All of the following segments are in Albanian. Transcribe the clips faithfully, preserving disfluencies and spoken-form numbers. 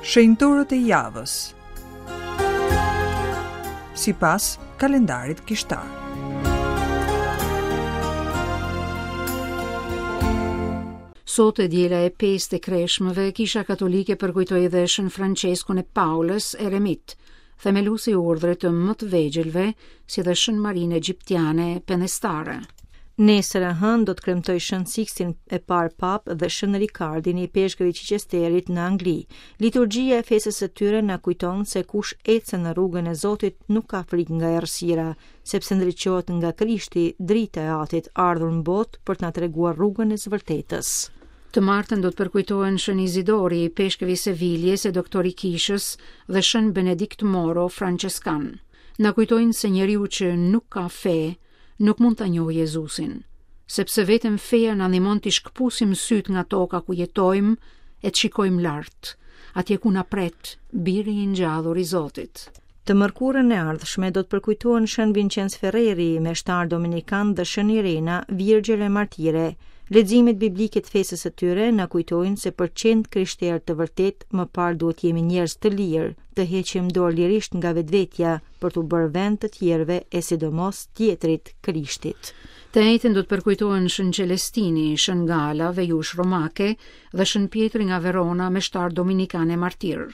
Shenjtorët e javës. Sipas kalendarit kishtar. Sot e diela e pestë e Kreshmëve, Kisha Katolike përkujtoi edhe Shën Françeskun e Paulës, eremit, themeluesi i urdhrit të më të vegjëlve, si dhe Shën Marinë Egjiptiane Penestare. Nesër e hënë do të kremtoj Shën Sikstin e parë Papë dhe Shën Rikardin ipeshkëv i Chichesterit në Angli. Liturgjia e festës së tyre na kujton se kush ecën në rrugën e Zotit nuk ka frikë nga errësira, sepse ndriçohet nga Krishti, drita e Atit, ardhur në botë për të na treguar rrugën e së vërtetës. Të martën do të përkujtohen Shën Izidori, ipeshkëvi i Seviljes e doktor i Kishës dhe Shën Benedikt Moro, françeskan. Na kujtojnë se njeriu që nuk ka fe nuk mund ta njohë Jezusin, sepse vetëm feja na ndihmon të shkëpusim syt nga toka ku jetojmë e të shikojmë lart, atje ku na pret biri i ngjallur i Zotit. Të mërkurën e ardhshme do të përkujtohen Shën Vincenz Ferreri, meshtar dominikan dhe Shën Irena, virgjër e martire. Leximet biblike të festës së tyre na kujtojnë se për qenë krishterë të vërtet, më parë duhet jemi njerëz të lirë, të heqim dorë lirisht nga vetvetja për t'u bërë vend të tjerëve e sidomos tjetrit, Krishtit. Të enjten do të përkujtohen Shën Celestini, Shën Gala, vejush romake dhe Shën Pjetri nga Verona, meshtar dominikan e martir.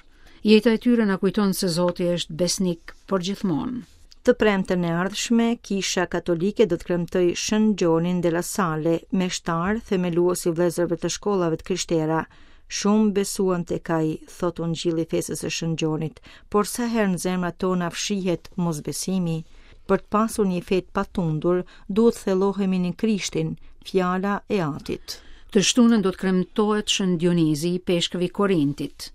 Jeta e tyre na kujton se Zoti është besnik për gjithmonë. Të premten e ardhshme, Kisha Katolike do të kremtoj Shën Gjonin de la Sale, meshtar, themelues i vëllezërve të shkollave të krishtera. Shumë besuan tek ai, thot Ungjilli i festës së Shën Gjonit, por sa herë në zemrat tona fshihet mosbesimi. Për të pasur një fe të patundur, duhet thellohemi në Krishtin, fjala e Atit. Të shtunën do të kremtohet Shën Dionizi, ipeshkëvi i Korintit.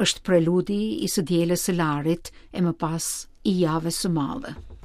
Është preludi i së dielës së Larit e më pas i javës së madhe.